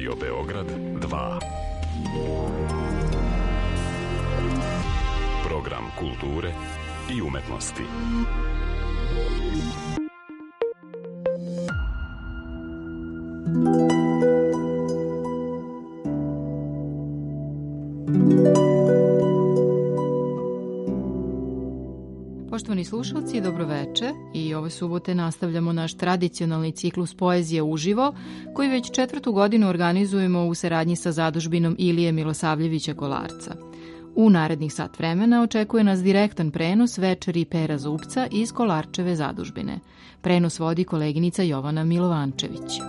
Radio Beograd 2. Program kulture i umetnosti. Poštovani slušalci, dobroveče i ove subote nastavljamo naš tradicionalni ciklus Poezije uživo, koji već 4. godinu organizujemo u saradnji sa zadužbinom Ilije Milosavljevića Kolarca. U narednih sat vremena očekuje nas direktan prenos večeri Pera Zubca iz Kolarčeve zadužbine. Prenos vodi koleginica Jovana Milovančević.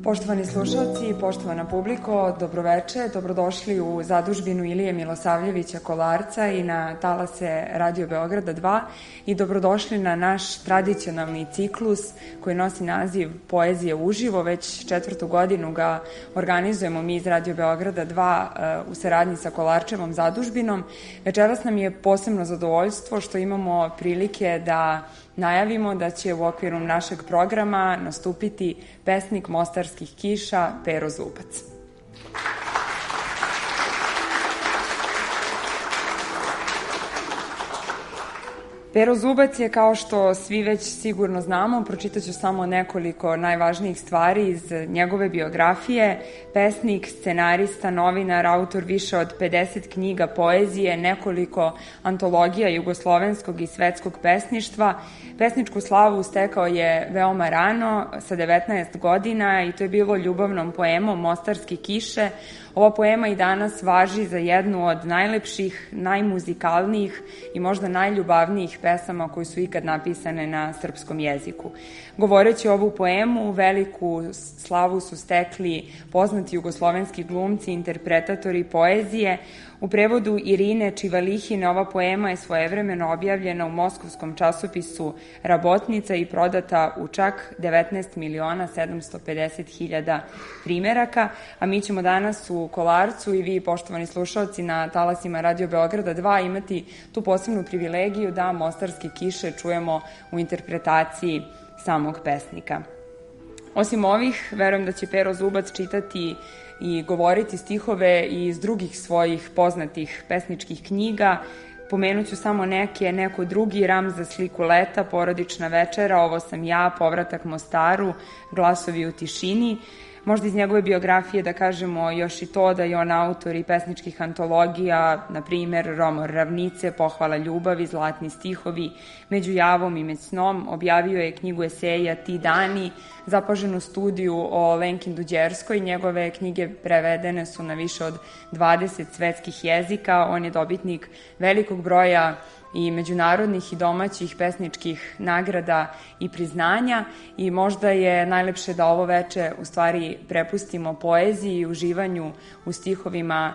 Poštovani slušalci i poštovana publiko, dobroveče, dobrodošli u zadužbinu Ilije Milosavljevića Kolarca i na talase Radio Beograda 2 i dobrodošli na naš tradicionalni ciklus koji nosi naziv Poezije uživo. Već 4. godinu ga organizujemo mi iz Radio Beograda 2 u saradnji sa Kolarčevom zadužbinom. Večeras nam je posebno zadovoljstvo što imamo prilike da najavimo da će u okviru našeg programa nastupiti pesnik mostarskih kiša Pero Zubac. Pero Zubac je, kao što svi već sigurno znamo, pročitaću samo nekoliko najvažnijih stvari iz njegove biografije, pesnik, scenarista, novinar, autor više od 50 knjiga poezije, nekoliko antologija jugoslovenskog i svetskog pesništva. Pesničku slavu stekao je veoma rano, sa 19 godina, i to je bilo ljubavnom poemom Mostarske kiše. Ova poema i danas važi za jednu od najlepših, najmuzikalnijih i možda najljubavnijih pesama koji su ikad napisane na srpskom jeziku. Govoreći ovu poemu, veliku slavu su stekli poznati jugoslovenski glumci, interpretatori poezije. U prevodu Irine Čivalihine ova poema je svojevremeno objavljena u moskovskom časopisu Rabotnica i prodata u čak 19.750.000 primeraka, a mi ćemo danas u Kolarcu i vi, poštovani slušalci, na talasima Radio Beograda 2 imati tu posebnu privilegiju da Mostarske kiše čujemo u interpretaciji samog pesnika. Osim ovih, verujem da će Pero Zubac čitati i govoriti stihove iz drugih svojih poznatih pesničkih knjiga. Pomenuću samo neko drugi, Ram za sliku leta, Porodična večera, Ovo sam ja, Povratak Mostaru, Glasovi u tišini. Možda iz njegove biografije da kažemo još i to da je on autor i pesničkih antologija, na primer Romor ravnice, Pohvala ljubavi, Zlatni stihovi, Među javom i med snom. Objavio je knjigu eseja Ti dani, zapaženu studiju o Lenkin Duđerskoj. Njegove knjige prevedene su na više od 20 svetskih jezika. On je dobitnik velikog broja i međunarodnih i domaćih pesničkih nagrada i priznanja, i možda je najlepše da ovo veče u stvari prepustimo poeziji i uživanju u stihovima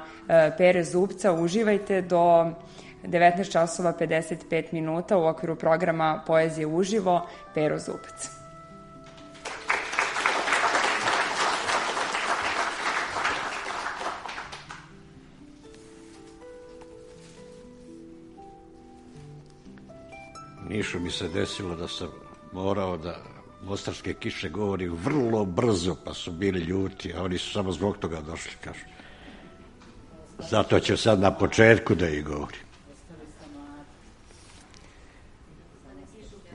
Pere Zubca. Uživajte do 19 časova 55 minuta u okviru programa Poezije uživo, Pero Zubac. Nišu mi se desilo da sam morao da Mostarske kiše govori vrlo brzo, pa su bili ljuti, a oni su samo zbog toga došli, kažu. Zato ću sad na početku da ih govorim.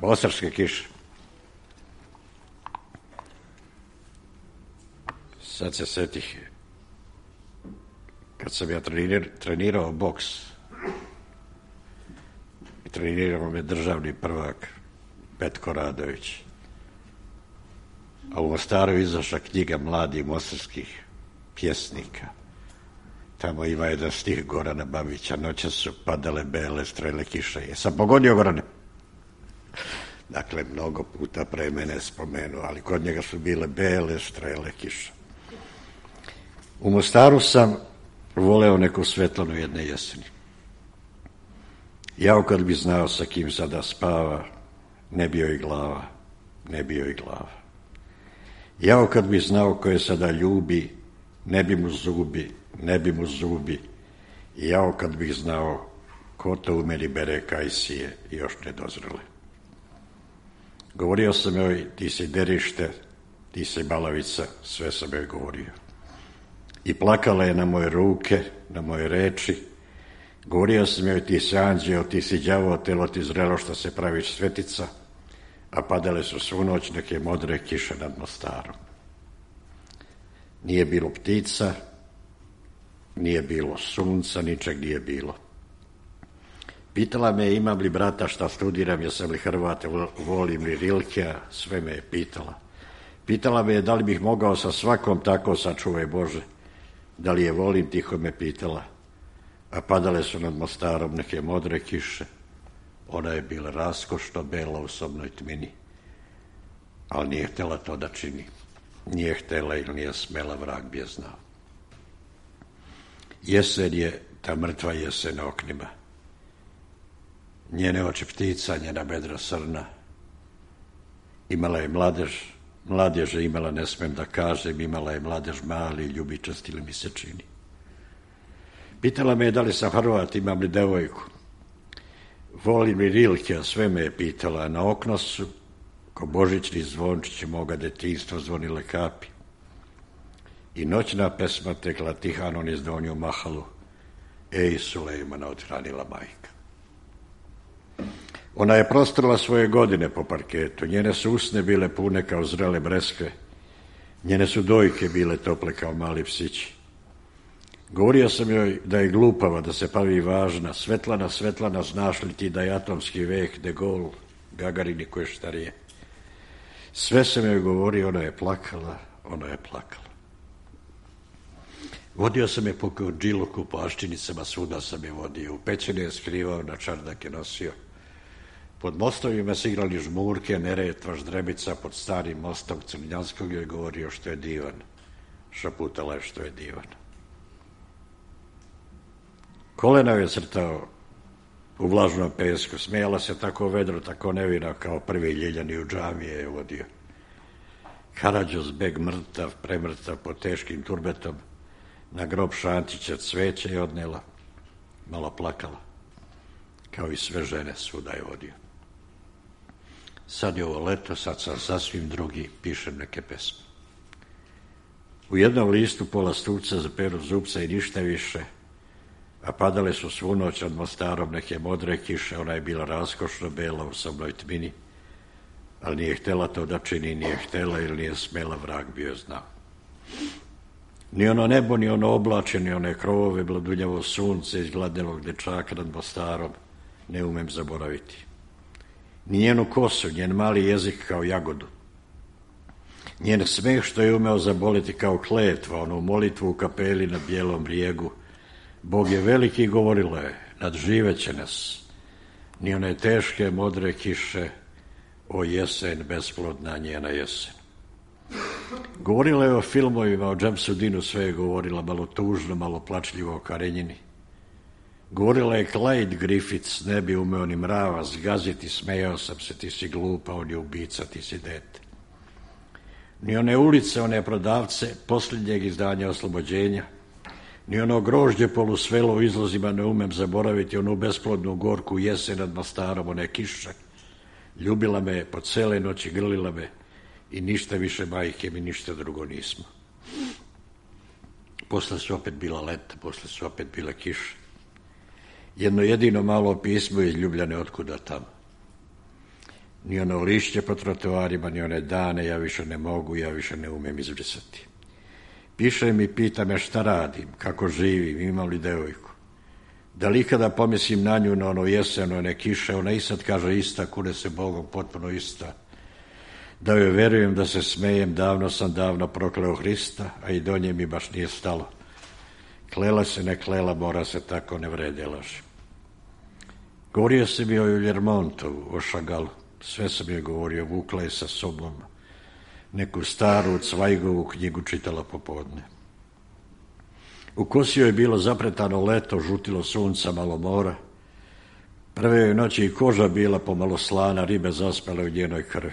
Mostarske kiše. Sad se setih, kad sam ja trenirao boks, trenirao me državni prvak Petko Radović, a u Mostaru izašla knjiga mladih mostarskih pjesnika. Tamo ima jedan stih Gorana Babića, noće su padale bele strele kiše. Jesam pogodio, Gorane? Dakle, mnogo puta pre mene spomenuo, ali kod njega su bile bele strele kiše. U Mostaru sam voleo neku Svetlanu jedne jeseni. Jao kad bi znao sa kim sada spava, ne bi joj glava, ne bi joj glava. Jao kad bi znao ko je sada ljubi, ne bi mu zubi, ne bi mu zubi. Jao kad bih znao ko to u meni bere kajsije još nedozrele. Govorio sam joj, ti si derište, ti si balavica, sve sam joj govorio. I plakala je na moje ruke, na moje reči. Govorio sam joj, ti si anđeo, ti si đavo, telo ti zrelo što se praviš svetica, a padale su svu noć neke modre kiše nad Mostarom. Nije bilo ptica, nije bilo sunca, ničeg nije bilo. Pitala me imam li brata, šta studiram, jesam li Hrvat, volim li Rilkea, sve me je pitala. Pitala me da li bih mogao sa svakom tako, sačuvaj Bože, da li je volim, tiho me pitala. A padale su nad Mostarom neke modre kiše. Ona je bila raskošno bela u sobnoj tmini, ali nije htjela to da čini. Nije htjela ili nije smela, vrag bi je znao. Jesen je, ta mrtva jesen na oknima. Njene oči ptica, njena bedra srna. Imala je mladež je imala, ne smem da kažem, imala je mladež mali, ljubičast ili mi se čini. Pitala me da li sam Hrvat, imam li devojku. Volim li Rilkea, sve me je pitala. Na okno su, ko božićni zvončići moga detinjstva, zvonile kapi. I noćna pesma tekla tihano niz Donju Mahalu. Ej, Sulejmana, odhranila majka. Ona je prostrla svoje godine po parketu. Njene su usne bile pune kao zrele breskve. Njene su dojke bile tople kao mali psići. Govorio sam joj da je glupava, da se pravi važna. Svetlana, Svetlana, znaš li ti da je atomski vek, De Gaulle, Gagarin i koje štarije. Sve sam joj govorio, ona je plakala. Vodio sam je po Kordžiluku, po Aščinicama, svuda sam je vodio. U pećine je skrivao, na čardak je nosio. Pod mostovima se igrali žmurke, Neretva, Ždrebica, pod starim mostom Crnjanskog joj govorio što je divan. Šaputala je što je divan. Kolena je crtao u vlažnom pesku. Smijala se tako vedro, tako nevina, kao prvi Ljiljani u džamije je vodio. Karadžos beg mrtav, premrtav pod teškim turbetom. Na grob Šantića cveće je odnela. Malo plakala. Kao i sve žene, svuda je vodio. Sad je ovo leto, sad sam sasvim drugi, pišem neke pesme. U jednom listu pola stupca za peru zupca i ništa više, a padale su svu noć nad Mostarom neke modre kiše. Ona je bila raskošno bela u sobnoj tmini, ali nije htjela to da čini, nije htjela ili nije smela, vrag bi joj znao. Ni ono nebo, ni ono oblače, ni one krovove, bladuljavo sunce iz gladnelog dečaka nad Mostarom ne umem zaboraviti. Ni njenu kosu, njen mali jezik kao jagodu. Njen smeh što je umeo zaboliti kao kletva, onu molitvu u kapeli na Bijelom brijegu. Bog je veliki, govorila je, nadživeće nas. Ni one teške modre kiše, o jesen, besplodna njena jesen. Govorila je o filmovima, o Džamsudinu, sve je govorila, malo tužno, malo plačljivo o Karenjini. Govorila je Clyde Griffiths, ne bi umeo ni mrava zgaziti, smejao sam se, ti si glupa, on je ubica, ti si dete. Ni one ulice, one prodavce, posljednjeg izdanja Oslobođenja, ni ono grožđe polusvelo u izlozima ne umem zaboraviti, onu besplodnu gorku jesen nad Mostarom, one kiše. Ljubila me po cele noći, grlila me i ništa više majke mi, ništa drugo nismo. Posle su opet bila leta, posle su opet bile kiše. Jedno jedino malo pismo iz Ljubljane, otkuda tamo. Ni ono lišće po trotoarima, ni one dane, ja više ne mogu, ja više ne umem izbrisati. Piše mi, pita me šta radim, kako živim, imam li devojku. Da li ikada pomislim na nju, na ono jesen, one kiše, ona i sad kaže ista, kune se Bogom, potpuno ista. Da joj verujem, da se smejem, davno prokleo Hrista, a i do nje mi baš nije stalo. Klela se, ne klela, mora se tako, ne vrede laži. Govorio sam mi o Ljermontovu, o Šagalu, sve sam joj govorio, vukla je sa sobom. Neku staru Cvajgovu knjigu čitala popodne. U kosi joj je bilo zapretano leto, žutilo sunca, malo mora. Prve joj noći i koža bila pomalo slana, ribe zaspale u njenoj krvi.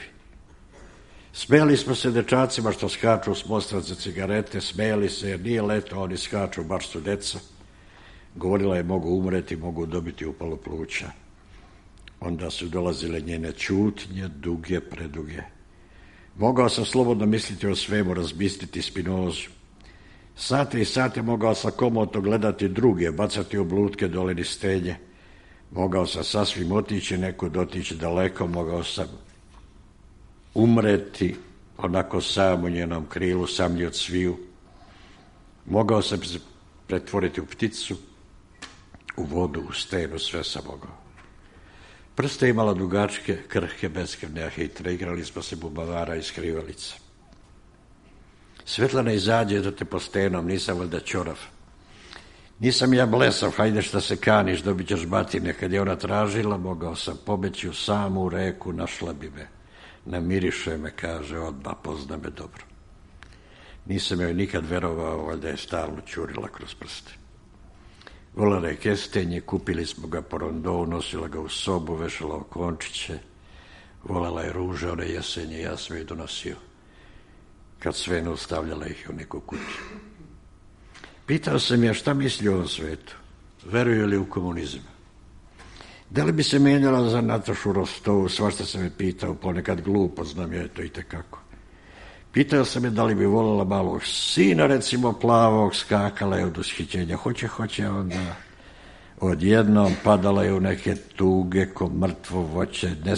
Smejali smo se dečacima što skaču s mosta za cigarete, smejali se jer nije leto, oni skaču, baš su deca. Govorila je, mogu umreti, mogu dobiti upalu pluća. Onda su dolazile njene ćutnje, duge, preduge. Mogao sam slobodno misliti o svemu, razbistriti Spinozu. Sate i sate mogao sam komotno gledati druge, bacati oblutke dole niz stenje. Mogao sam sasvim otići, nekud otići daleko, mogao sam umreti onako sam u njenom krilu, samlji od sviju. Mogao sam se pretvoriti u pticu, u vodu, u stenu, sve sam mogao. Prste imala dugačke, krhke, beskrvne, a hitre. Igrali smo se bubavara i skrivalica. Svetlana izađe da te po stenom, nisam valjda ćorav. Nisam ja blesav, hajde šta se kaniš, dobit ćeš batine. Kad je ona tražila, mogao sam pobeći u samu reku, našla bi me. Namiriše me, kaže, odmah, pozna me dobro. Nisam joj nikad verovao, valjda je stalno ćurila kroz prste. Volela je kestenje, kupili smo ga po rondou, nosila ga u sobu, vešala okončiće. Volela je ruže, one jesenje, ja sam joj donosio. Kad sve ostavljala ih u neku kutiju. Pitao sam je šta misli o ovom svetu. Veruje li u komunizam? Da li bi se menjala za Natašu Rostovu? Svašta sam je pitao, ponekad glupo, znam je to i tekako. Pitao sam je da li bi voljela malog sina, recimo plavog, skakala je od ushićenja. Hoće, onda odjednom padala je u neke tuge ko mrtvo voće. Ne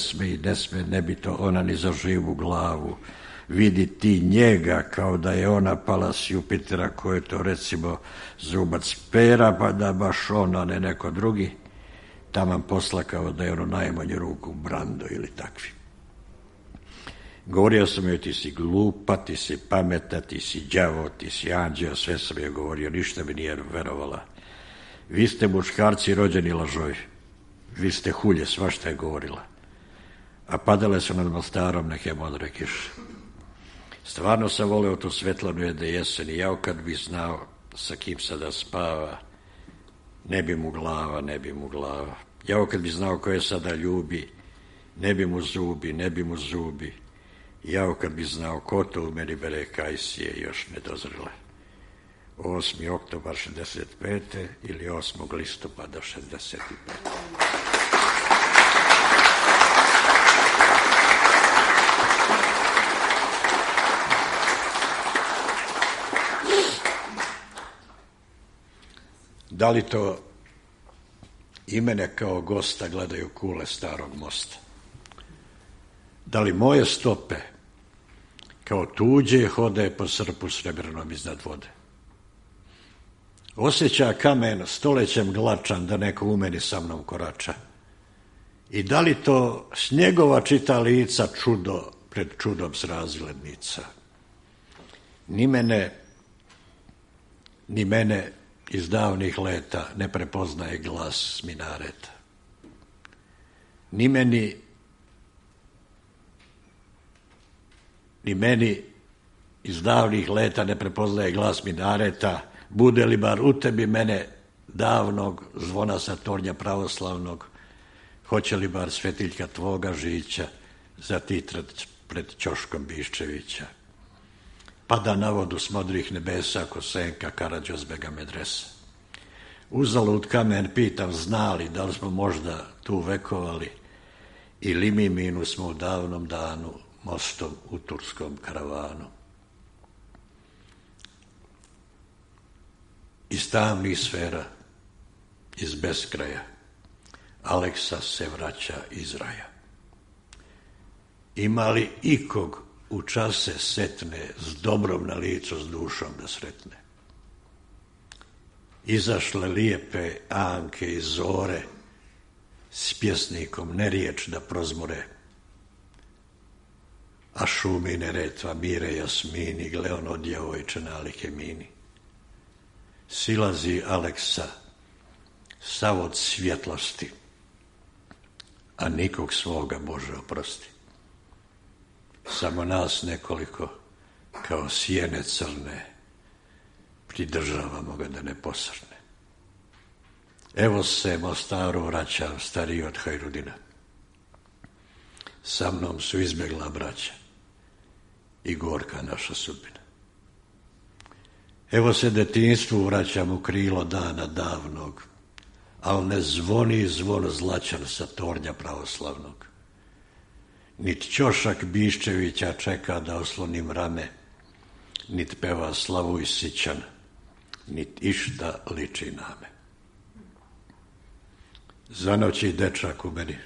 sme, ne bi to ona ni za živu glavu. Vidi ti njega kao da je ona pala s Jupitera, ko je to recimo zubac pera, pa da baš ona, ne neko drugi. Taman poslakao da je ono najmanju ruku Brando ili takvi. Govorio sam joj, ti si glupa, ti si pameta, ti si đavo, ti si anđeo, sve sam joj govorio, ništa mi nije verovala. Vi ste muškarci rođeni lažovi, vi ste hulje, svašta je govorila. A padale su nad Mostarom neke modre kiše. Stvarno sam voleo tu Svetlanu jedne jeseni, jao kad bi znao sa kim sada spava, ne bi mu glava. Jao kad bi znao ko je sada ljubi, ne bi mu zubi. Jao kad bi znao ko to u meni bere kajsije još nedozrele. 8. oktobar 65. ili 8. listopada 65. Da li to i mene kao gosta gledaju kule starog mosta? Da li moje stope kao tuđe hode po srpu srebrnom iznad vode? Osjeća kamen stolećem glačan da neko u meni sa mnom korača? I da li to snjegova čita lica čudo pred čudom srazglednica? Ni mene iz davnih leta ne prepoznaje glas s minareta. Ni meni iz davnih leta ne prepoznaje glas minareta, bude li bar u tebi mene davnog zvona sa tornja pravoslavnog, hoće li bar svetiljka tvoga žića zatitrat pred ćoškom Biščevića. Pada na vodu s modrih nebesa ko senka Karađozbega medresa. Uzalud kamen pitam, znali da li smo možda tu vekovali ili mi minu smo u davnom danu mostom u turskom karavanu. Iz tamnih sfera, iz beskraja, Aleksa se vraća iz raja. Ima li ikog u čase setne s dobrom na licu, s dušom da sretne? Izašle lijepe Anke i Zore s pjesnikom ne riječ da prozmore, a šumi Neretva, Mire, Jasmini, gle ono djevojče nalike mini. Silazi Aleksa sav od svjetlosti, a nikog svoga Bože oprosti. Samo nas nekoliko kao sjene crne pridržavamo ga da ne posrne. Evo se Mostaru vraćam stariji od Hajrudina. Sa mnom su izbjegla braća i gorka naša sudbina. Evo se detinjstvu vraćam u krilo dana davnog, al ne zvoni zvon zlačan sa tornja pravoslavnog. Nit Ćošak Biščevića čeka da oslonim rame, nit peva Slavuj Sićan, nit išta liči na me. Zanoći dečak u meni,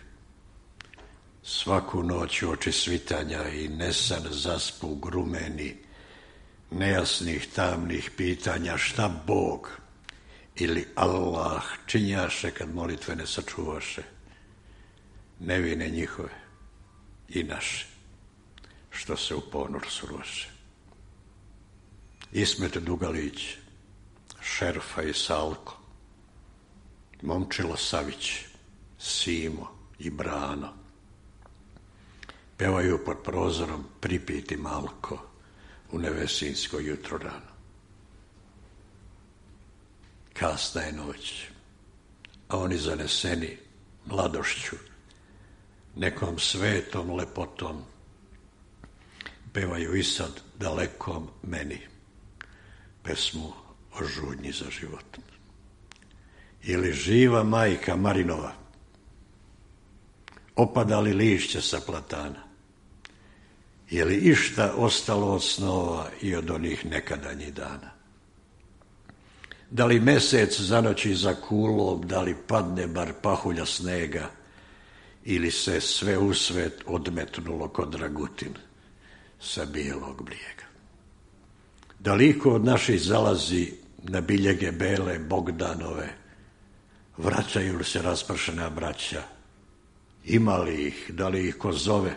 svaku noć u oči svitanja i nesan zaspu grumeni, nejasnih tamnih pitanja šta Bog ili Allah činjaše kad molitve ne sačuvaše, nevine njihove i naše, što se u ponor suroše. Ismet Dugalić, Šerfa i Salko, Momčilo Savić, Simo i Brano, pevaju pod prozorom pripiti malko u nevesinsko jutro rano. Kasna je noć, a oni zaneseni mladošću, nekom svetom lepotom, pevaju i sad dalekom meni pesmu o žudnji za životom. Ili živa majka Marinova, opada li lišće sa platana, je li išta ostalo od snova i od onih nekadanjih dana? Da li mesec zanoći za kulom, da li padne bar pahulja snega, ili se sve u svet odmetnulo ko dragutin sa bijelog brijega? Da li iko od naših zalazi na biljege bele Bogdanove, vraćaju li se raspršena braća, ima li ih, da li ih ko zove,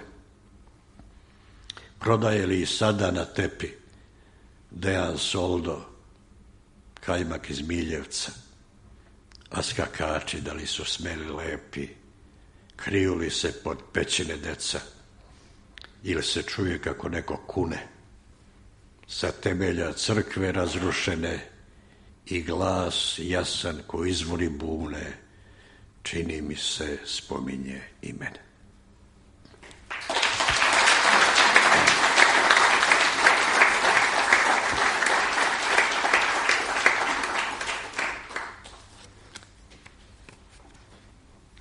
prodaje li sada na tepi Dejan Soldo kajmak iz Miljevca, a skakači da li su smeli lepi, kriju li se pod pećine deca, ili se čuje kako neko kune sa temelja crkve razrušene i glas jasan ko izvori bune, čini mi se spominje i mene.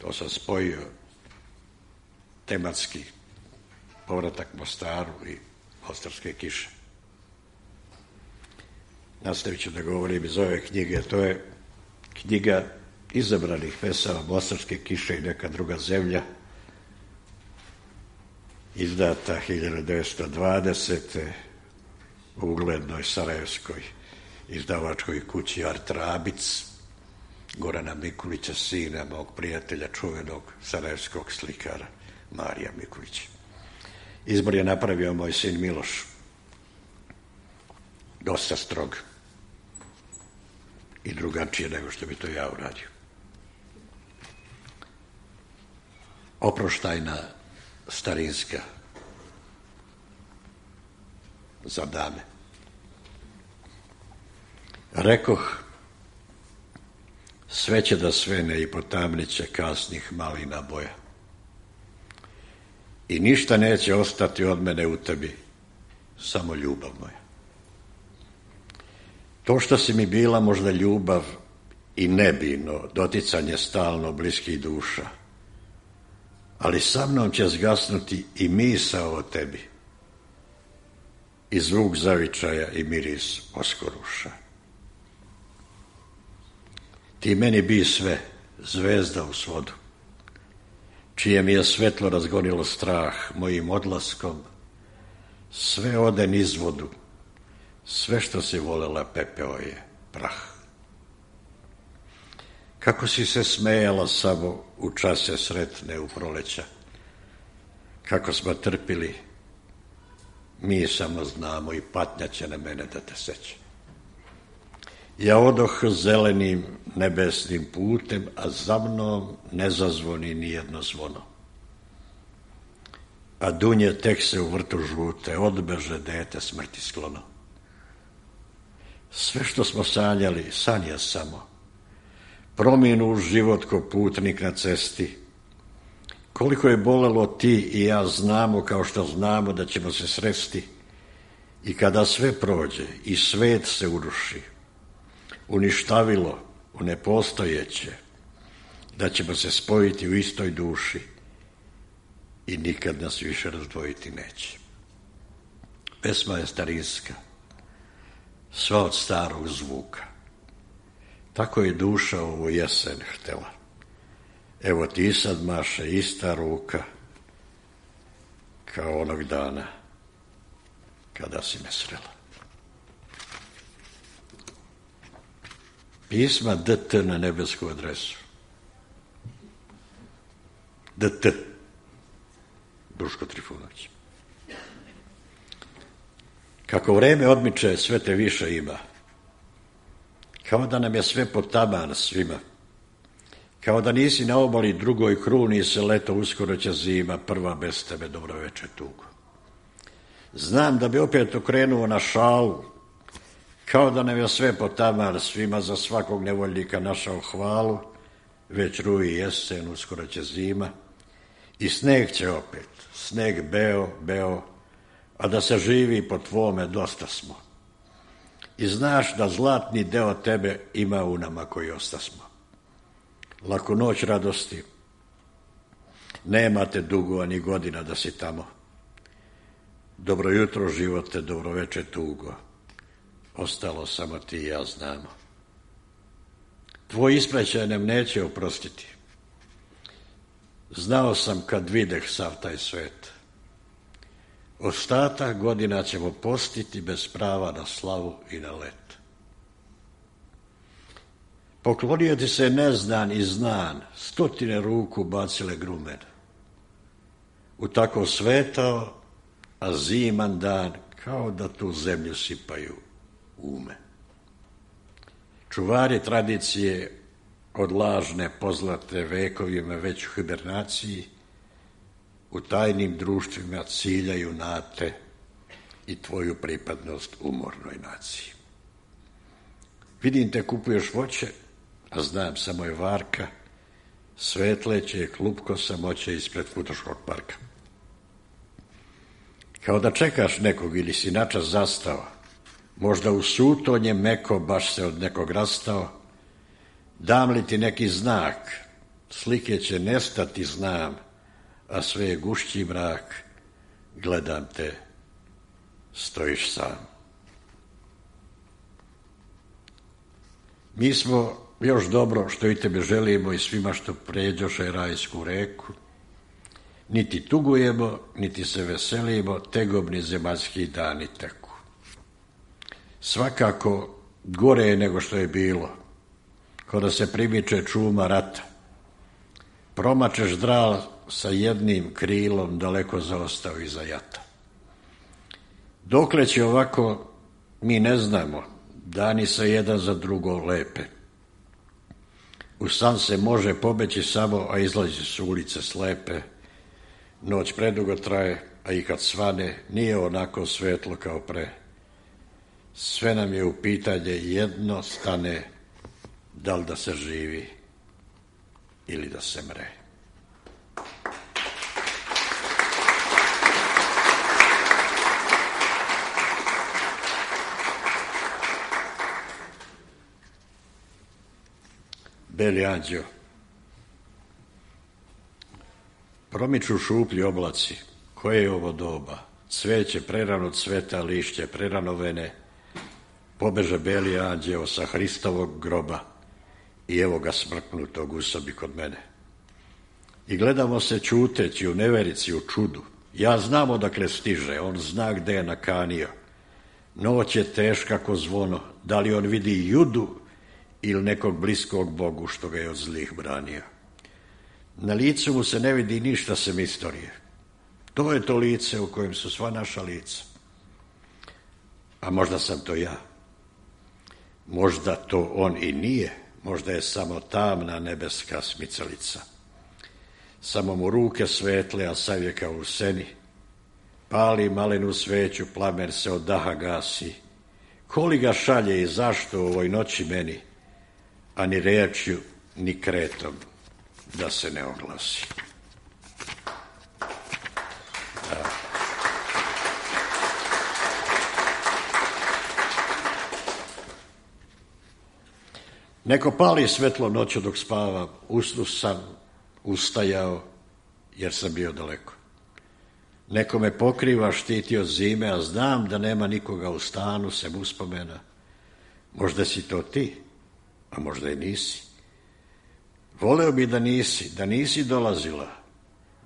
To sam spojio tematski povratak Mostaru i Mostarske kiše. Nastavit ću da govorim iz ove knjige. To je knjiga izabranih pesama Mostarske kiše i neka druga zemlja, izdata 1920. u uglednoj sarajevskoj izdavačkoj kući Art Rabic, Gorana Mikulića, sina mog prijatelja, čuvenog sarajevskog slikara Marija Mikulića. Izbor je napravio moj sin Miloš, dosta strog i drugačije nego što bi to ja uradio. Oproštajna starinska za dame. Rekoh, sve će da svene i potamniće kasnih malina boja. I ništa neće ostati od mene u tebi, samo ljubav moja. To što si mi bila možda ljubav i nebino, doticanje stalno bliskih duša, ali sa mnom će zgasnuti i misao o tebi, i zvuk zavičaja i miris oskoruša. Ti meni bi sve, zvezda u svodu, čije mi je svetlo razgonilo strah mojim odlaskom, sve ode niz vodu, sve što si volela pepeo je prah. Kako si se smejala samo u čase sretne u proleća, kako smo trpili, mi samo znamo i patnja će na mene da te seća. Ja odoh zelenim nebesnim putem, a za mnom ne zazvoni nijedno zvono. A dunje tek se u vrtu žute, odbeže dete smrti sklono. Sve što smo sanjali, san je samo. Prominu život ko putnik na cesti. Koliko je bolelo ti i ja znamo, kao što znamo da ćemo se sresti. I kada sve prođe i svet se uruši, uništavilo u nepostojeće, da ćemo se spojiti u istoj duši i nikad nas više razdvojiti neće. Pesma je starinska, sva od starog zvuka. Tako je duša ovu jesen htela. Evo ti sad, Maše, ista ruka kao onog dana kada si me srela. Pisma DT na nebesku adresu. DT. Duško Trifunović. Kako vreme odmiče, sve te više ima. Kao da nam je sve potaman svima. Kao da nisi na obali drugoj kruni se leto, uskoro će zima, prva bez tebe dobroveče tugo. Znam da bi opet okrenuo na šalu, kao da nam je sve potaman svima, za svakog nevoljnika našao hvalu, već ruji jesen, uskoro će zima, i sneg će opet, sneg beo, beo, a da se živi po tvome dosta smo. I znaš da zlatni deo tebe ima u nama koji ostasmo. Laku noć radosti, nemate dugo ni godina da si tamo. Dobro jutro živote, dobro veče tugo, ostalo samo ti i ja znamo. Tvoj ispraćaj nam neće oprostiti. Znao sam kad videh sav taj svet. Ostatak godina ćemo postiti bez prava na slavu i na let. Poklonio ti se neznan i znan, 100 ruku bacile grumen. U tako svetao, a ziman dan, kao da tu zemlju sipaju ume. Čuvari tradicije od lažne pozlate vekovima već u hibernaciji, u tajnim društvima ciljaju na te i tvoju pripadnost umornoj naciji. Vidim te kupuješ voće, a znam samo je varka, svetleće je klupko samoće ispred Futoškog parka. Kao da čekaš nekog ili si načas zastao, možda u sutonje meko baš se od nekog rastao, dam li ti neki znak, slike će nestati znam, a sve je gušći mrak, gledam te, stojiš sam. Mi smo još dobro što i tebe želimo i svima što pređoše rajsku reku, niti tugujemo, niti se veselimo, tegobni zemaljski dani teku. Svakako gore je nego što je bilo, kao da se primiče čuma rata. Promačeš dral sa jednim krilom daleko zaostao iza jata. Dokle će ovako, mi ne znamo, dani se jedan za drugo lepe. U san se može pobeći samo, a izlazi su ulice slepe. Noć predugo traje, a i kad svane, nije onako svetlo kao pre. Sve nam je u pitanje jedno stane, da li da se živi ili da se mre. Beli anđeo. Promiču šuplji oblaci, koje je ovo doba? Cveće prerano cveta, lišće prerano vene, pobeže beli anđeo sa Hristovog groba i evo ga smrknutog u sobi kod mene. I gledamo se čuteći u neverici, u čudu. Ja znam odakle stiže, on zna gde je nakanio. Noć je teška ko zvono, da li on vidi Judu ili nekog bliskog Bogu što ga je od zlih branio. Na licu mu se ne vidi ništa sem istorije. To je to lice u kojem su sva naša lica. A možda sam to ja. Možda to on i nije. Možda je samo tamna nebeska smicalica. Samo mu ruke svetle, a sav je kao u seni. Pali malenu sveću, plamen se od daha gasi. Koli ga šalje i zašto u ovoj noći meni, a ni rečju, ni kretom da se ne oglasi. Da. Neko pali svetlo noću dok spavam, usnu sam, ustajao, jer sam bio daleko. Neko me pokriva, štiti od zime, a znam da nema nikoga u stanu, sem uspomena. Možda si to ti, a možda i nisi. Voleo bi da nisi dolazila,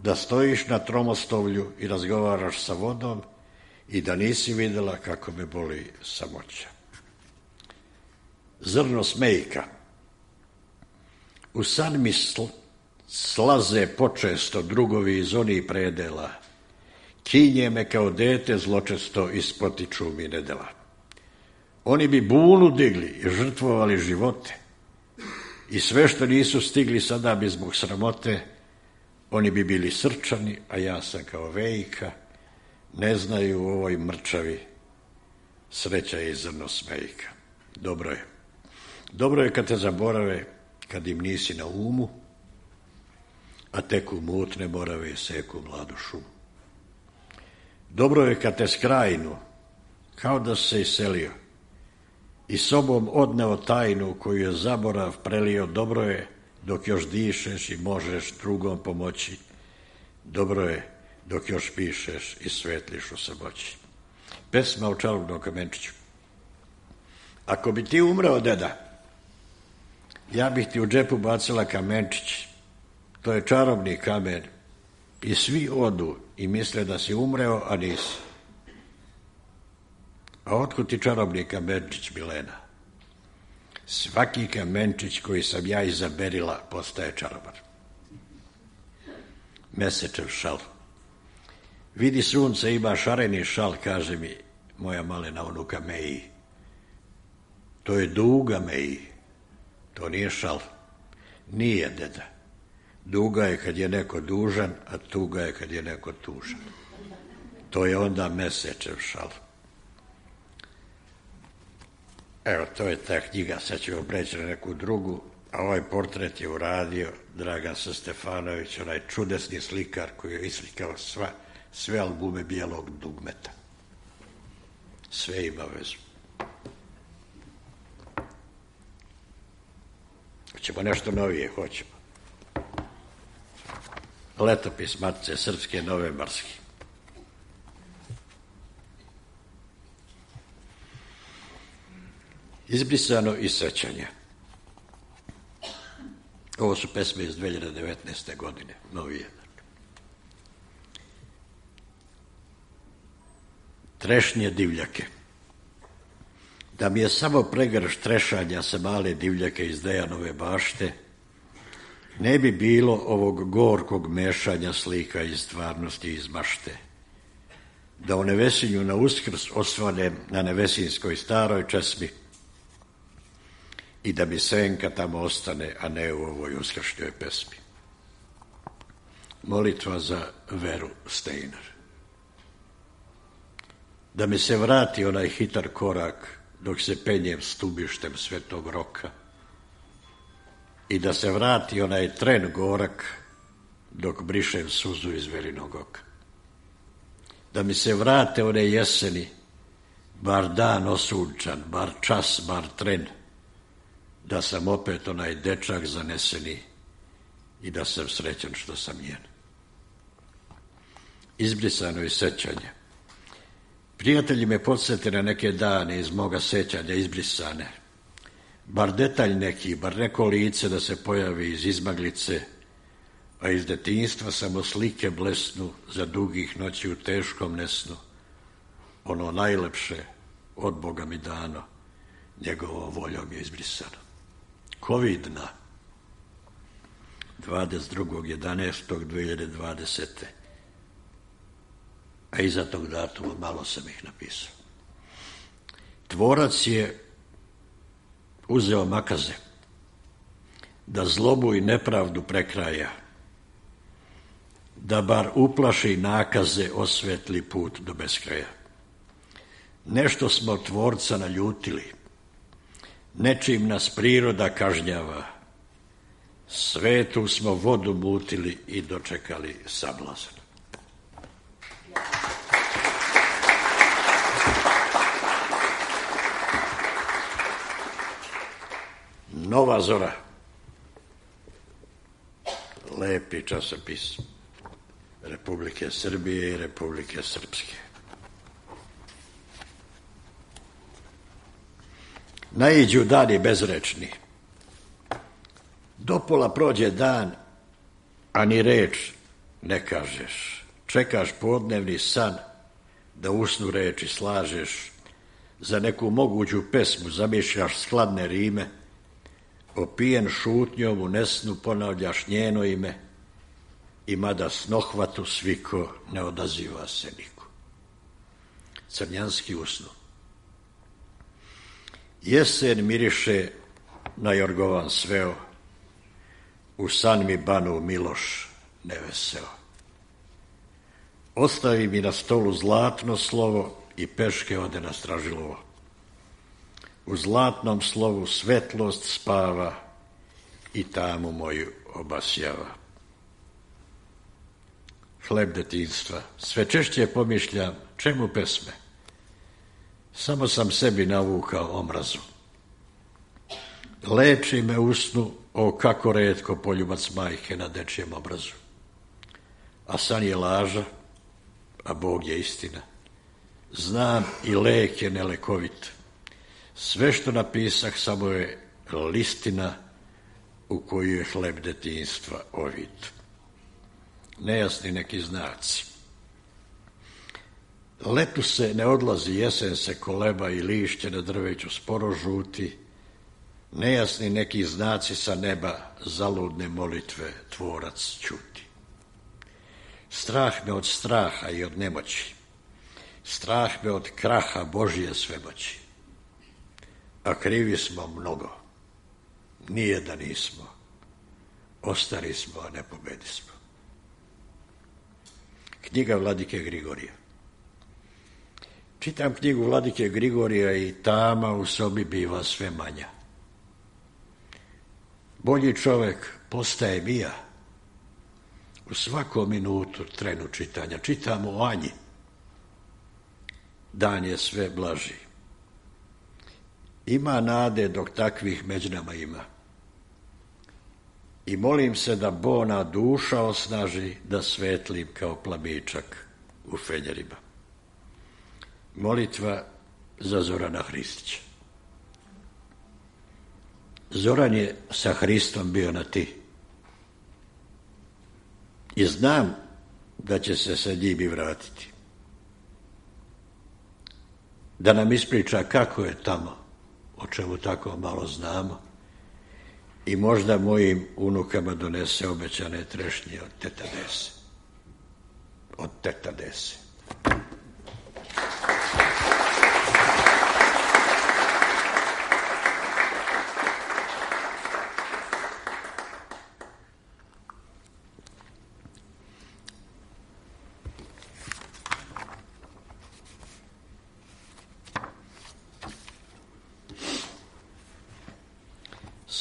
da stojiš na tromostovlju i razgovaraš sa vodom i da nisi videla kako me boli samoća. Zrno smejka. U san mi slaze počesto drugovi iz onih predela. Kinje me kao dete zločesto i spotiču mi nedela. Oni bi bunu digli i žrtvovali živote. I sve što nisu stigli sada bi zbog sramote, oni bi bili srčani, a ja sam kao vejka, ne znaju u ovoj mrčavi, sreća je zrno smejka. Dobro je. Dobro je kad te zaborave, kad im nisi na umu, a tek u mutne morave seku mladu šumu. Dobro je kad te skrajnu, kao da se iselio, i sobom odneo tajnu koju je zaborav prelio. Dobro je dok još dišeš i možeš drugom pomoći. Dobro je dok još pišeš i svetliš u samoći. Pesma o čarobnom kamenčiću. Ako bi ti umreo, deda, ja bih ti u džepu bacila kamenčić. To je čarobni kamen. I svi odu i misle da si umreo, a nisi. A otkud ti čarobni kamenčić, Milena? Svaki kamenčić koji sam ja izaberila postaje čarobar. Mesečev šal. Vidi sunce, ima šareni šal, kaže mi moja malena unuka Meji. To je duga, Meji. To nije šal. Nije, deda. Duga je kad je neko dužan, a tuga je kad je neko tužan. To je onda mesečev šal. Evo, to je ta knjiga, sad ćemo preći na neku drugu, a ovaj portret je uradio Dragan Stefanović, onaj čudesni slikar koji je islikao sve albume Bijelog dugmeta. Sve ima vezu. Hoćemo nešto novije, hoćemo. Letopis Matice Srpske novembarski. Izbrisano iz sećanja. Ovo su pesme iz 2019. godine, novije. Trešnje divljake. Da mi je samo pregrš trešanja sa male divljake iz Dejanove bašte, ne bi bilo ovog gorkog mešanja slika iz stvarnosti i iz mašte. Da u Nevesinju na Uskrs osvanem na Nevesinskoj staroj česmi i da mi senka tamo ostane, a ne u ovoj uskršnjoj pesmi. Molitva za Veru Steiner. Da mi se vrati onaj hitar korak dok se penjem stubištem Svetog Roka i da se vrati onaj tren gorak dok brišem suzu iz Verinog oka. Da mi se vrate one jeseni, bar dan osunčan, bar čas, bar tren, da sam opet onaj dečak zaneseni i da sam srećan što sam njen. Izbrisano iz sećanja. Prijatelji me podsjete na neke dane iz moga sećanja izbrisane. Bar detalj neki, bar neko lice da se pojavi iz izmaglice, a iz detinjstva samo slike blesnu za dugih noći u teškom nesnu. Ono najlepše od Boga mi dano, njegovom voljom je izbrisano. Covidna, 22.11.2020. A iza tog datuma malo sam ih napisao. Tvorac je uzeo makaze da zlobu i nepravdu prekraja, da bar uplaši nakaze, osvetli put do beskraja. Nešto smo tvorca naljutili, nečim nas priroda kažnjava, svetu smo vodu mutili i dočekali sablazan. Nova zora. Lepi časopis. Republike Srbije i Republike Srpske. Naiđu dani bezrečni. Dopola prođe dan, a ni reč ne kažeš. Čekaš podnevni san, da usnu reči slažeš, za neku moguću pesmu zamišljaš skladne rime, opijen šutnjom u nesnu ponavljaš njeno ime, i mada snohvatu sviko ne odaziva se niko. Crnjanski usnu. Jesen miriše na jorgovan sveo, u san mi banu Miloš neveseo. Ostavi mi na stolu zlatno slovo i peške ode na Stražilovo. U zlatnom slovu svetlost spava i tamu moju obasjava. Hleb detinjstva. Sve češće pomišljam čemu pesme. Samo sam sebi navukao omrazu. Leči me usnu, o kako retko poljubac majke na dečijem obrazu. A san je laža, a Bog je istina. Znam i lek je nelekovit. Sve što napisah samo je listina u koju je hleb detinjstva ovit. Nejasni neki znaci. Letu se ne odlazi, jesen se koleba i lišće na drveću sporo žuti. Nejasni neki znaci sa neba, zaludne molitve tvorac ćuti. Strah me od straha i od nemoći. Strah me od kraha Božije svemoći. A krivi smo mnogo. Nije da nismo. Ostari smo, a ne pobedismo. Knjiga Vladike Grigorija. Čitam knjigu Vladike Grigorija i tama u sobi biva sve manja. Bolji čovek postajem i ja. U svakom minutu trenu čitanja. Čitam o Anji. Dan je sve blaži. Ima nade dok takvih među nama ima. I molim se da bona duša osnaži, da svetlim kao plamičak u fenjerima. Molitva za Zorana Hristića. Zoran je sa Hristom bio na ti. I znam da će se sa njim i vratiti. Da nam ispriča kako je tamo, o čemu tako malo znamo, i možda mojim unukama donese obećane trešnje od teta Dese. Od teta Dese.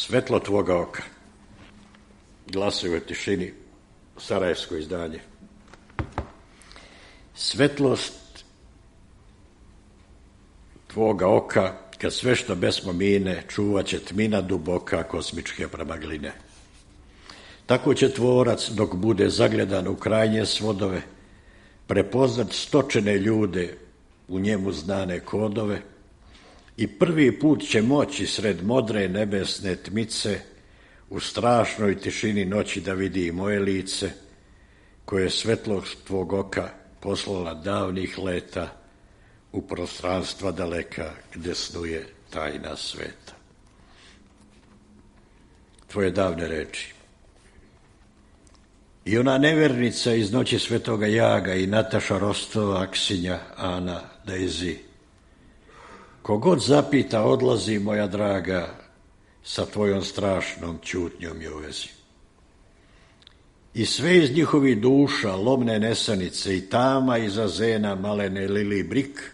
Svetlo tvoga oka. Glasovi u tišini, sarajevsko izdanje. Svetlost tvoga oka, kad sve što besmo mine, čuvat će tmina duboka kosmičke pramagline. Tako će tvorac, dok bude zagledan u krajnje svodove, prepoznat stočene ljude, u njemu znane kodove, i prvi put će moći sred modre nebesne tmice u strašnoj tišini noći da vidi i moje lice, koje je svetlog tvog oka poslala davnih leta u prostranstva daleka gde snuje tajna sveta. Tvoje davne reči. I ona nevernica iz Noći svetoga Jaga i Nataša Rostova, Aksinja, Ana, Daisy. Kogod zapita, odlazi, moja draga, sa tvojom strašnom ćutnjom je u vezi. I sve iz njihovih duša, lomne nesanice i tama iza zena malene lili brik,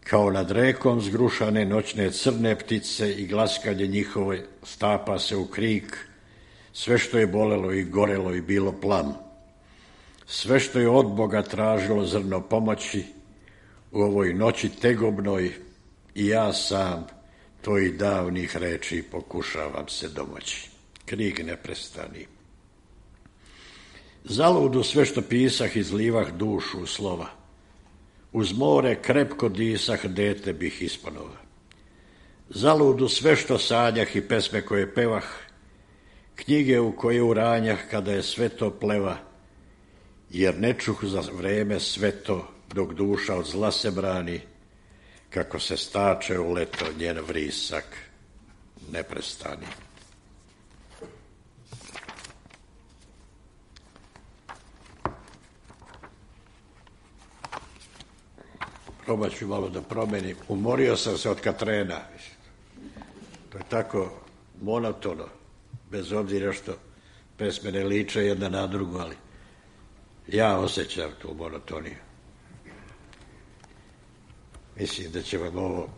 kao nad rekom zgrušane noćne crne ptice i glaskanje njihove stapa se u krik, sve što je bolelo i gorelo i bilo plam, sve što je od Boga tražilo zrno pomoći, u ovoj noći tegobnoj i ja sam tvojih davnih reči pokušavam se domoći. Krik ne prestani. Zaludu sve što pisah izlivah dušu u slova. Uz more krepko disah, dete bih ispanova. Zaludu sve što sanjah i pesme koje pevah, knjige u koje uranjah kada je sve to pleva, jer ne čuh za vreme sve to dok duša od zla se brani, kako se stače u leto njen vrisak ne prestani. Probat ću malo da promenim. Umorio sam se od Katrena. To je tako monotono, bez obzira što pesme ne liče jedna na drugu, ali ja osjećam tu monotoniju. Mislim da će vam ovo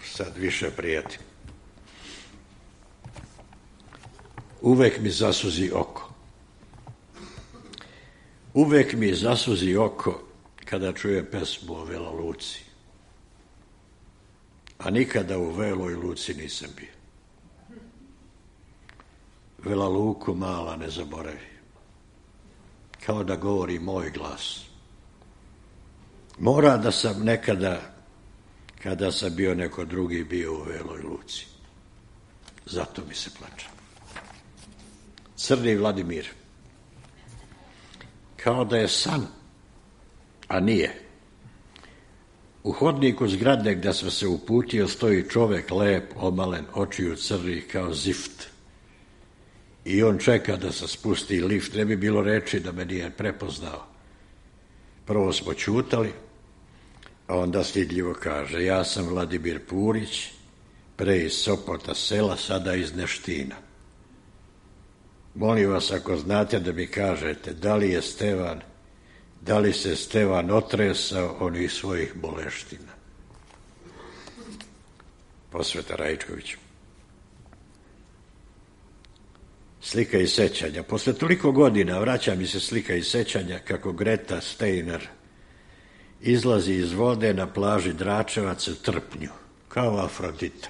sad više prijati. Uvek mi zasuzi oko. Uvek mi zasuzi oko kada čujem pesmu o Vela Luci. A nikada u Veloj Luci nisam bio. Vela Luku mala ne zaboravi. Kao da govori moj glas. Mora da sam nekada, kada sam bio neko drugi, bio u Veloj Luci. Zato mi se plače. Crni Vladimir. Kao da je san, a nije. U hodniku zgrade gdje sam se uputio stoji čovek lep, omalen, očiju crnih kao zift. I on čeka da se spusti lift. Ne bi bilo reči da me nije prepoznao. Prvo smo ćutali, a onda stidljivo kaže: ja sam Vladimir Purić, pre iz Sopota sela, sada iz Neština. Molim vas, ako znate, da mi kažete da li se Stevan otresao onih svojih boleština. Posveta Rajčković. Slika i sećanja. Posle toliko godina vraća mi se slika i sećanja kako Greta Steiner izlazi iz vode na plaži Dračevac u Trpnju, kao Afrodita.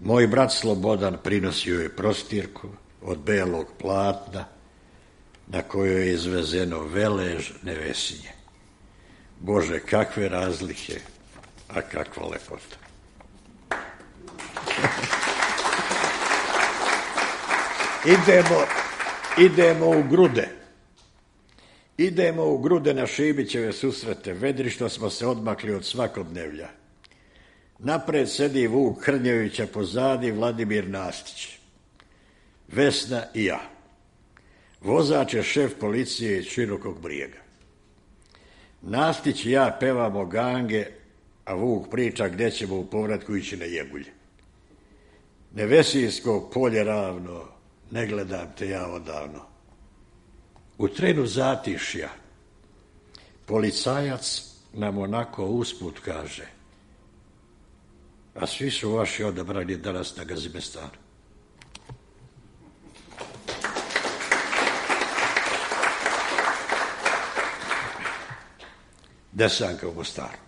Moj brat Slobodan prinosio je prostirku od belog platna na kojoj je izvezeno velež nevesinje. Bože, kakve razlike, a kakva lepota. Idemo u Grude. Idemo u Grude na Šibićeve susrete. Vedrišto smo se odmakli od svakodnevlja. Napred sedi Vuk Hrnjevića, pozadi Vladimir Nastić. Vesna i ja. Vozač je šef policije iz Širokog Brijega. Nastić i ja pevamo gange, a Vuk priča gdje ćemo u povratku ići na Jegulje. Nevesinsko polje ravno, ne gledam te ja odavno. U trenu zatišja policajac nam onako usput kaže: a svi su vaši odabrani danas na Gazimestanu. Desanka u Mostaru.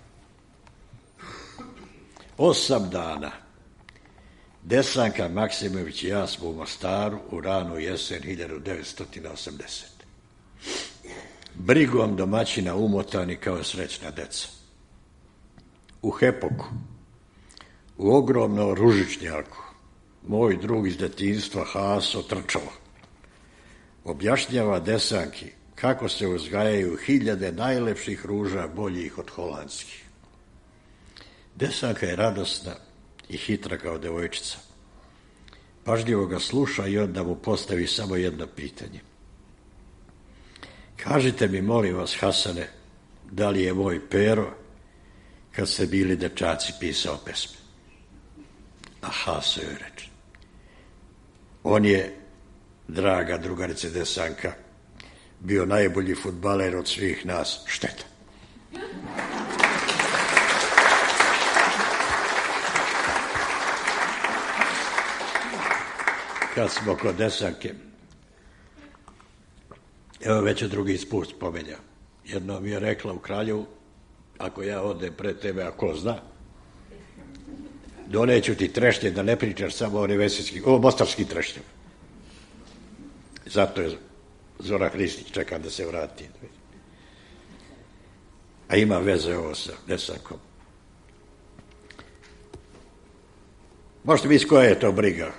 8 dana. Desanka Maksimović i ja smo u Mostaru u ranu jesen 1980. Brigom domaćina umotani kao srećna deca. U Hepoku, u ogromnom ružičnjaku, moj drug iz detinjstva Haso Trčalo objašnjava Desanki kako se uzgajaju 1000 najlepših ruža boljih od holandskih. Desanka je radosna i hitra kao devojčica. Pažljivo ga sluša i onda mu postavi samo jedno pitanje. Kažite mi, molim vas, Hasane, da li je moj Pero, kad ste bili dečaci, pisao pesme? A Haso joj reče: on je, draga drugarice Desanka, bio najbolji fudbaler od svih nas. Šteta. Kad smo kod Desanke, evo već je drugi put spomenja. Jedno mi je rekla u Kraljevu: ako ja odem pred tebe, a ko zna, doneću ti trešnje, da ne pričaš samo o mostarskim trešnjama. Zato je Zora Hristić čeka da se vrati. A ima veze ovo sa Desankom. Možete misliti koja je to briga.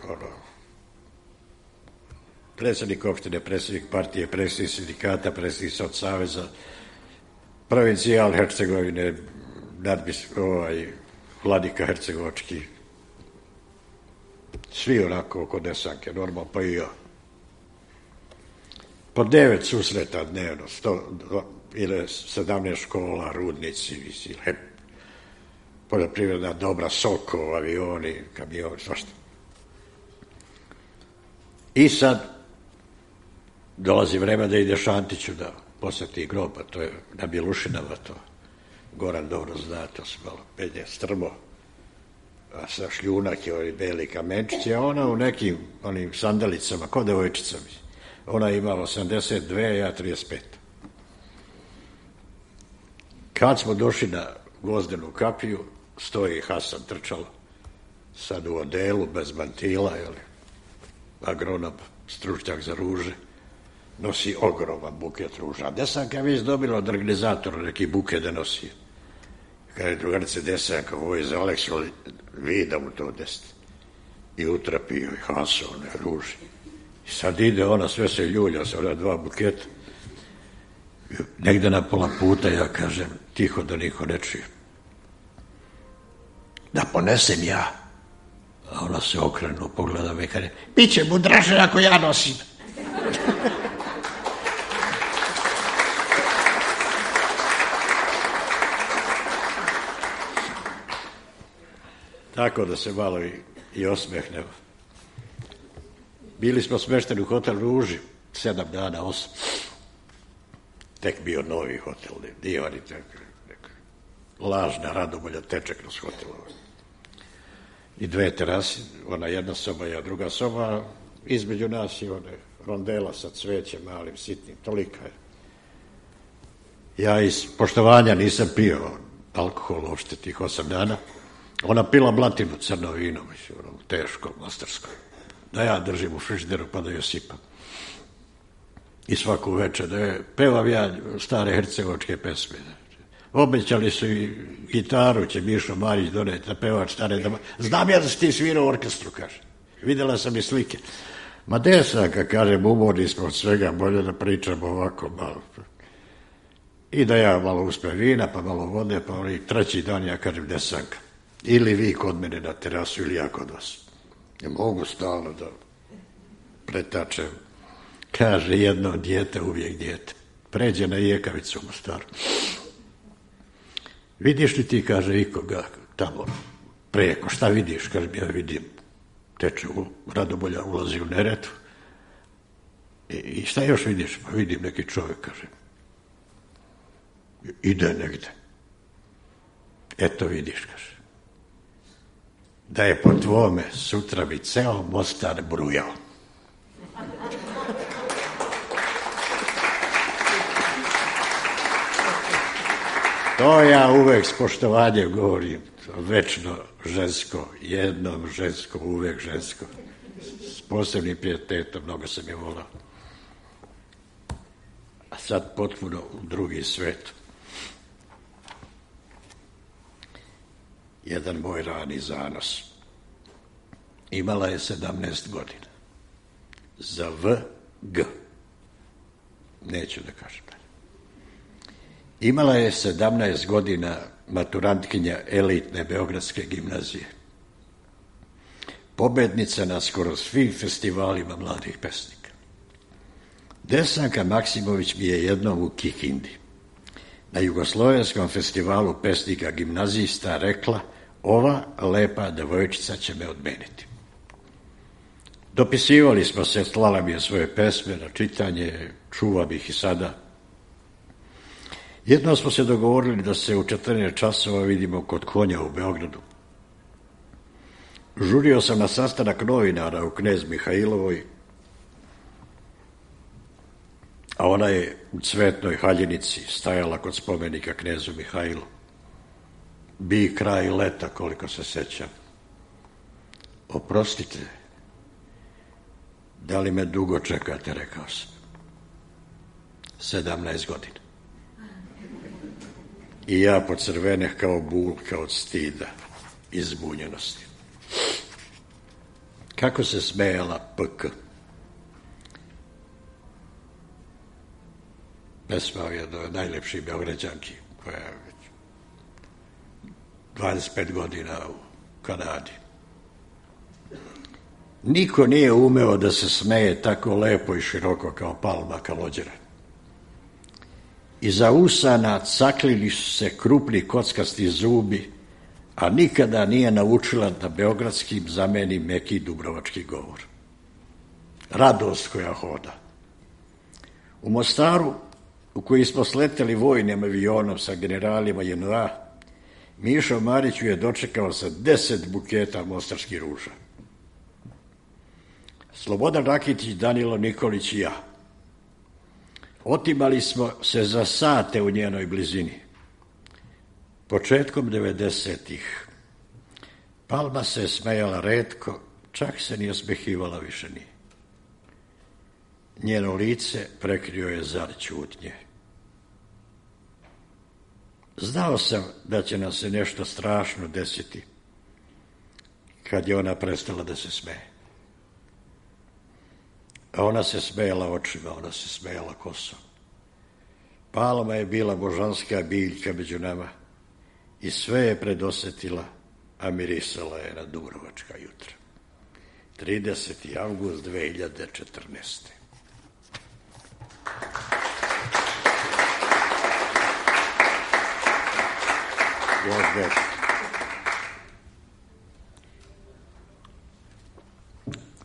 Predsjednik opštine, predsjednik partije, predsjednik sindikata, predsjednik Sotsaveza, provincijal Hercegovine, vladika Hercegovački. Svi onako oko Desanke, normalno, pa i ja. Po 9 susreta dnevno, 100 ili 17 škola, rudnici, poljoprivredna dobra, Sokol, avioni, kamioni, svašta. I sad dolazi vreme da ide Šantiću da posjeti grob, a to je na Bjelušinama, to Goran dobro zna, to se malo penje strmo, a sa šljunak je ovi beli kamenčići, a ona u nekim onim sandalicama, ko devojčica mi. Ona je imala 82, ja 35. Kad smo došli na Gvozdenu kapiju, stoji Hasan Trčalo, sad u odelu, bez mantila, agronom, stručnjak za ruže, nosi ogroman buket ruža. A Desanka je već dobila od organizatora neki buket da nosi. Kaže, drugarice, Desanka, ovo je za Aleksu, vi da mu to desite. I utrapio i Hasan, one ruže. I sad ide ona, sve se ljulja sa ona 2 buketa. Negde na pola puta ja kažem, tiho da niko ne čuje. Da ponesem ja. A ona se okrenu, pogleda me i kaže, biće mu draže ako ja nosim. Tako da se malo i osmehnemo. Bili smo smešteni u hotel Ruži, 7 dana, 8. Tek bio novi hotel, divan i tako. Lažna radobolja teče kroz hotel. I 2 terase, ona jedna soba i druga soba, između nas je one rondela sa cvećem, malim, sitnim, tolika je. Ja iz poštovanja nisam pio alkohol uopšte tih 8 dana. Ona pila blatinu, crno vino, mislim, teško, mostarsko. Da ja držim u frižideru pa da joj sipam. I svaku večer da je pevam ja stare hercegovačke pesme. Obećali su i gitaru, će Mišo Marić doneti na pevač stare dama. Znam ja da si ti svirao u orkestru, kaže. Videla sam i slike. Ma Desanka, kažem, umorni smo od svega, bolje da pričamo ovako malo. I da ja malo uspem vina, pa malo vode, pa oni 3. dan ja kažem Desanka. Ili vi kod mene na terasu, ili ja kod vas. Ne mogu stalno da pretačem. Kaže, jedno dijete, uvijek dijete. Pređe na Jekavicu u Mostaru. Vidiš li ti, kaže, ikoga tamo preko, šta vidiš? Kaže, ja vidim, teče u Radobolja, ulazi u Neretvu. I šta još vidiš? Pa vidim neki čovjek, kaže. Ide negde. Eto vidiš, kaže. Da je po tvome sutra bi ceo Mostar brujao. To ja uvek s poštovanjem govorim, večno žensko, jednom žensko, uvek žensko, s posebnim pijetetom, mnogo sam je volao. A sad potpuno u drugi svet. Jedan moj rani zanos. Imala je 17 godina. Za VG. Neću da kažem. Imala je 17 godina maturantkinja elitne Beogradske gimnazije. Pobednica na skoro svim festivalima mladih pesnika. Desanka Maksimović mi je jednom u Kikindi na Jugoslovenskom festivalu pesnika gimnazista rekla: ova lepa devojčica će me odmeniti. Dopisivali smo se, slala mi je svoje pesme na čitanje, čuvam ih i sada. Jednom smo se dogovorili da se u 14 časova vidimo kod Konja u Beogradu. Žurio sam na sastanak novinara u Knez Mihajlovoj, a ona je u Cvetnoj haljinici stajala kod spomenika Knezu Mihajlu. Bi kraj leta, koliko se sećam. Oprostite, Da li me dugo čekate, rekao sam. 17 godina. I ja pocrveneh kao bulka od stida i zbunjenosti. Kako se smejala PK. Pesma je jedna od najlepših Beograđanki koja je već 25 godina u Kanadi. Niko nije umeo da se smeje tako lepo i široko kao Palma Kalođera. Iza usana caklili su se krupni kockasti zubi, a nikada nije naučila da beogradskim zameni meki dubrovački govor. Radost koja hoda. U Mostaru, u koji smo sleteli vojnim avionom sa generalima JNA, Mišo Marić je dočekao sa 10 buketa mostarskih ruža. Slobodan Rakitić, Danilo Nikolić i ja. Otimali smo se za sate u njenoj blizini. Početkom 90-ih Palma se smejala retko, čak se ni osmehivala više nije. Njeno lice prekrio je zar ćutnje. Znao sam da će nam se nešto strašno desiti kad je ona prestala da se smeje. A ona se smejala očima, ona se smejala kosom. Palma je bila božanska biljka među nama i sve je predosetila, a mirisala je na dubrovačka jutra. 30. avgust 2014.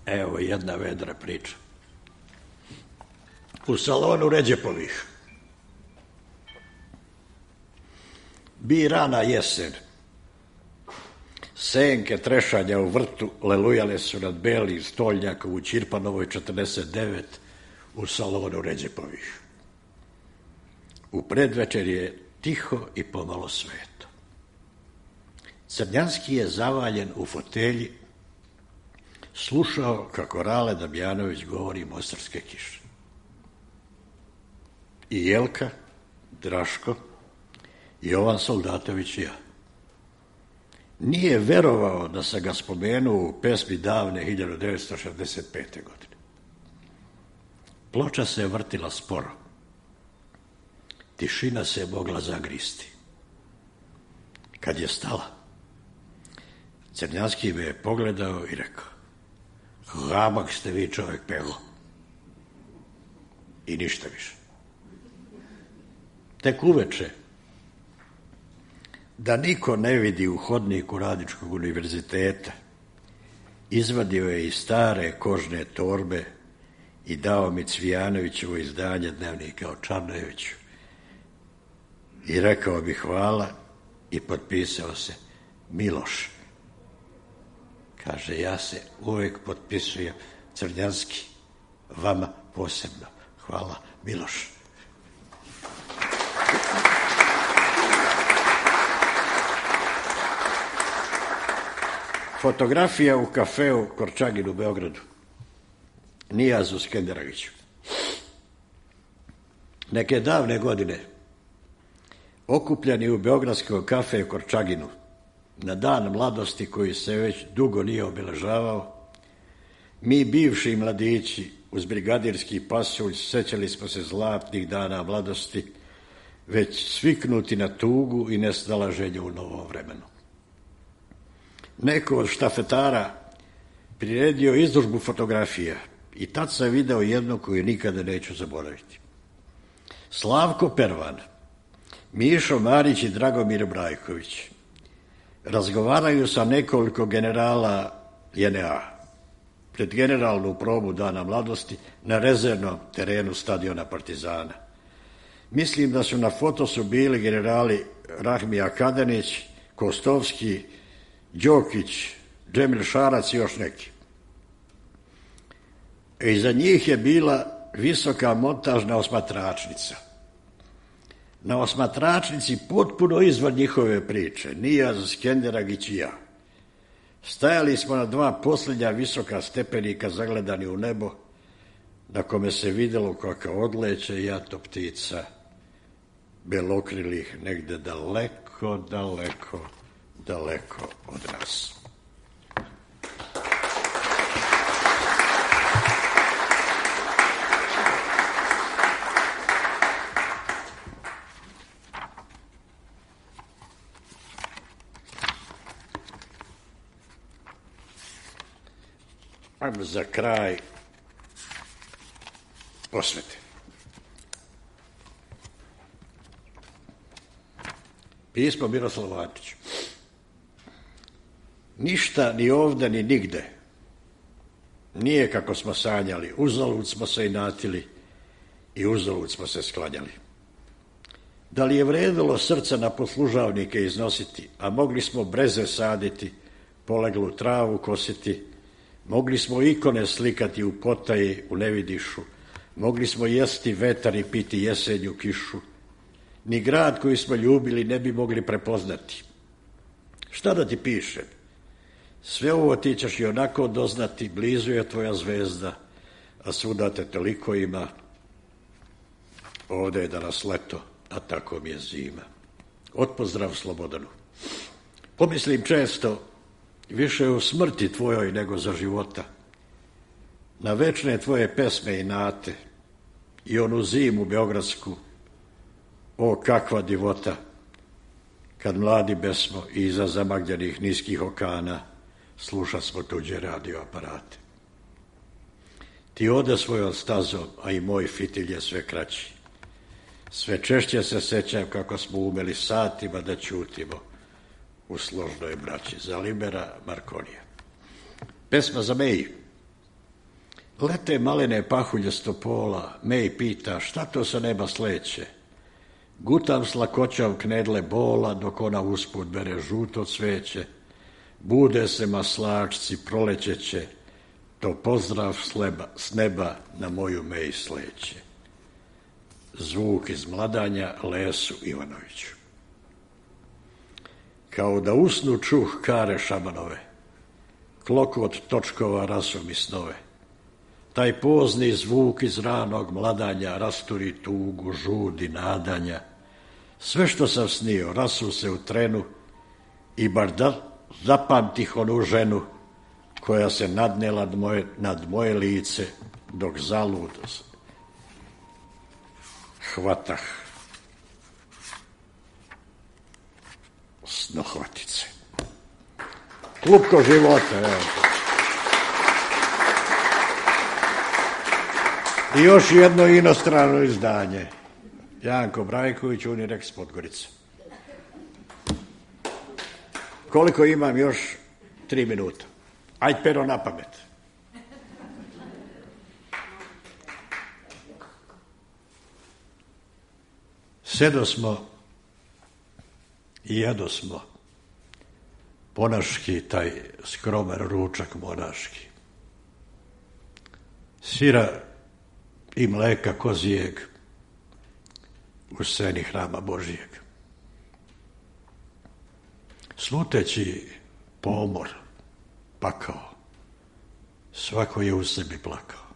Evo jedna vedra priča. U salonu Ređepovih bi rana jesen. Senke trešanja u vrtu lelujale su nad belim stolnjakom u Ćirpanovoj 49 u salonu Ređepovih. U predvečer je tiho i pomalo sveto. Crnjanski je zavaljen u fotelji, slušao kako Rale Damjanović govori mostarske kiše. I Jelka, Draško, Jovan Soldatović i ja. Nije verovao da sam ga spomenuo u pesmi davne 1965. godine. Ploča se vrtila sporo. Tišina se je mogla zagristi. Kad je stala, Crnjanski me je pogledao i rekao: "Hamak ste vi čovjek pelo." I ništa više. Tek uveče, da niko ne vidi u hodniku Radničkog univerziteta, izvadio je iz stare kožne torbe i dao mi Cvijanovićevo izdanje dnevnika o Čarnojeviću i rekao bi hvala i potpisao se Miloš. Kaže, ja se uvijek potpisujem Crnjanski, vama posebno. Hvala, Miloš. Fotografija u kafeu Korčagin u Beogradu. Nijazu Skenderagiću. Neke davne godine, okupljeni u beogradskom kafeu Korčaginu, na dan mladosti koji se već dugo nije obeležavao, mi bivši mladići uz brigadirski pasulj sećali smo se zlatnih dana mladosti, već sviknuti na tugu i nesnalaženje u novom vremenu. Neko od štafetara priredio izložbu fotografija i tad sam video jednu koju nikada neću zaboraviti. Slavko Pervan, Mišo Marić i Dragomir Brajković razgovaraju sa nekoliko generala JNA pred generalnu probu dana mladosti na rezervnom terenu stadiona Partizana. Mislim da su na fotosu bili generali Rahmija Kadanić, Kostovski, Đokić, Džemil Šarac i još neki. Iza njih je bila visoka montažna osmatračnica. Na osmatračnici, potpuno izvan njihove priče, Nijaz, Skenderagić i ja. Stajali smo na dva posljednja visoka stepenika zagledani u nebo na kome se vidjelo kako odleće jato ptica, belokrilih negde daleko, daleko, daleko od nas. Ajmo za kraj osvete. Pismo Miroslavu Antiću. Ništa ni ovde ni nigde nije kako smo sanjali, uzalud smo se inatili i uzalud smo se sklanjali. Da li je vredilo srca na poslužavnike iznositi, a mogli smo breze saditi, poleglu travu kositi, mogli smo ikone slikati u potaji, u nevidišu, mogli smo jesti vetar i piti jesenju kišu, ni grad koji smo ljubili ne bi mogli prepoznati. Šta da ti pišem? Sve ovo ti ćeš i onako doznati, blizu je tvoja zvezda, a svuda te toliko ima. Ovde je danas leto, a tako mi je zima. Otpozdrav Slobodanu. Pomislim često, više u smrti tvojoj nego za života, na večne tvoje pesme i nate i onu zimu beogradsku, o kakva divota, kad mladi besmo i iza zamagljenih niskih okana sluša smo tuđe radioaparate. Ti ode svojom stazom, a i moj fitilj je sve kraći. Sve češće se sećam kako smo umeli satima da ćutimo u složnoj braći. Za Libera Markonija. Pesma za Meji. Lete malene pahulje s topola, Mej pita šta to sa neba sleće. Gutam s lakoćom knedle bola, dok ona usput bere žuto cveće. Bude se maslačci, prolećeće, to pozdrav s neba na moju Mej sleće. Zvuk iz Mladanja, Lesu Ivanoviću. Kao da usnu čuh kare šamanove, klokot točkova rasu mi snove. Taj pozni zvuk iz ranog mladanja rasturi tugu, žudi, nadanja. Sve što sam snio rasu se u trenu i bar da zapamtih onu ženu koja se nadnela nad moje lice dok zalud hvatah snohvatice. Klupko života, evo. I još jedno inostrano izdanje. Janko Brajković, Unirex Podgorica. Koliko imam još? 3 minuta. Ajde, pero na pamet. Sedosmo i jedosmo ponaški taj skromer ručak monaški. Sira i mleka kozijeg u sceni hrama Božijeg. Sluteći pomor, pakao, svako je u sebi plakao.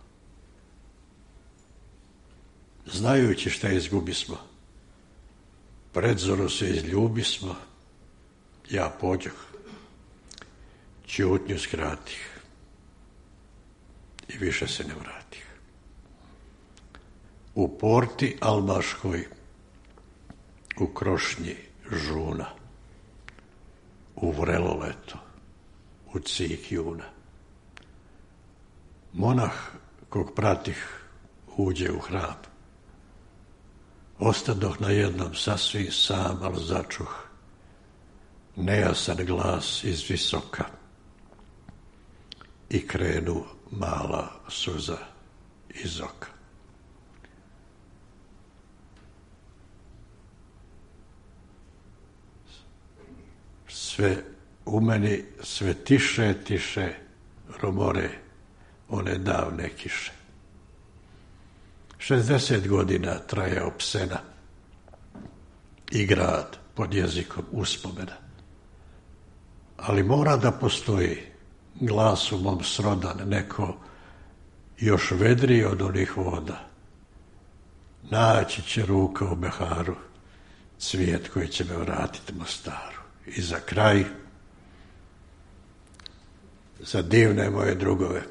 Znajući šta izgubismo, predzoru se izljubismo, ja pođoh, ćutnju skratih i više se ne vratih. U porti almaškoj, u krošnji žuna, u vrelo leto, u cik juna. Monah kog pratih uđe u hram. Ostadoh na jednom sasvim sam, ali začuh nejasan glas iz visoka i krenu mala suza iz oka. Sve u meni, sve tiše, tiše romore one davne kiše. 60 godina traje opsena i grad pod jezikom uspomena. Ali mora da postoji glas u mom srodan neko još vedriji od onih voda. Naći će ruka u meharu cvijet koji će me vratiti Mostaru. I za kraj, za divne moje drugove,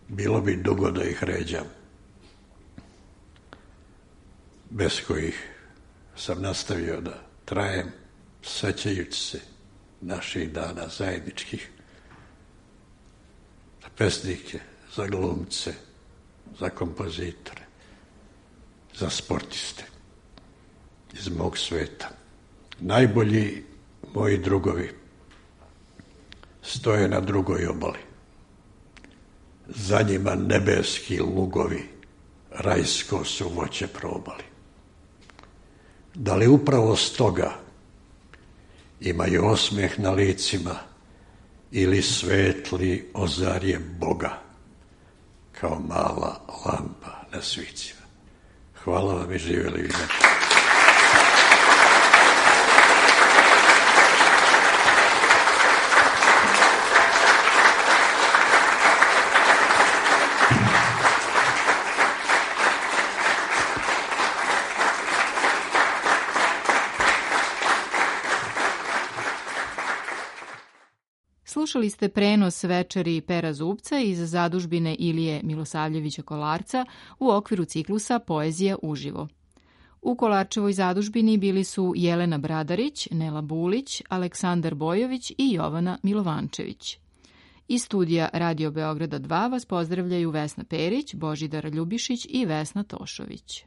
bilo bi dugo da ih ređam, bez kojih sam nastavio da trajem, sećajući se naših dana zajedničkih, za pesnike, za glumce, za kompozitore, za sportiste iz mog sveta. Najbolji moji drugovi stoje na drugoj obali. Za njima nebeski lugovi rajsko su voće probali. Da li upravo stoga imaju osmeh na licima ili svetli ozarje Boga kao mala lampa na svicima? Hvala vam i živjeli vi. Slušali ste prenos večeri Pera Zubca iz zadužbine Ilije Milosavljevića Kolarca u okviru ciklusa Poezija uživo. U Kolarčevoj zadužbini bili su Jelena Bradarić, Nela Bulić, Aleksandar Bojović i Jovana Milovančević. Iz studija Radio Beograda 2 vas pozdravljaju Vesna Perić, Božidar Ljubišić i Vesna Tošović.